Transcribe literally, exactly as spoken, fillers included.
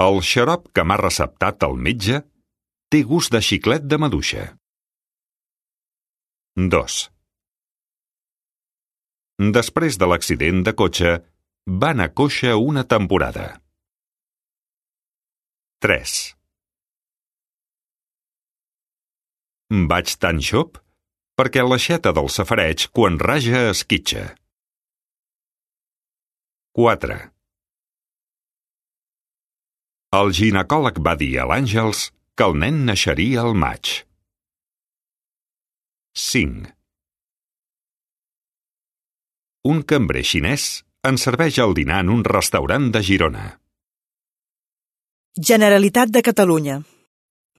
El xarop que m'ha receptat el metge té gust de xiclet de maduixa. dos. Després de l'accident de cotxe, va anar coixa una temporada. tres. Vaig tan xop perquè l'aixeta del safareig quan raja esquitxa. quatre. El ginecòleg va dir a l'Àngels que el nen naixeria al maig. cinc. Un cambrer xinès ens serveix el dinar en un restaurant de Girona. Generalitat de Catalunya.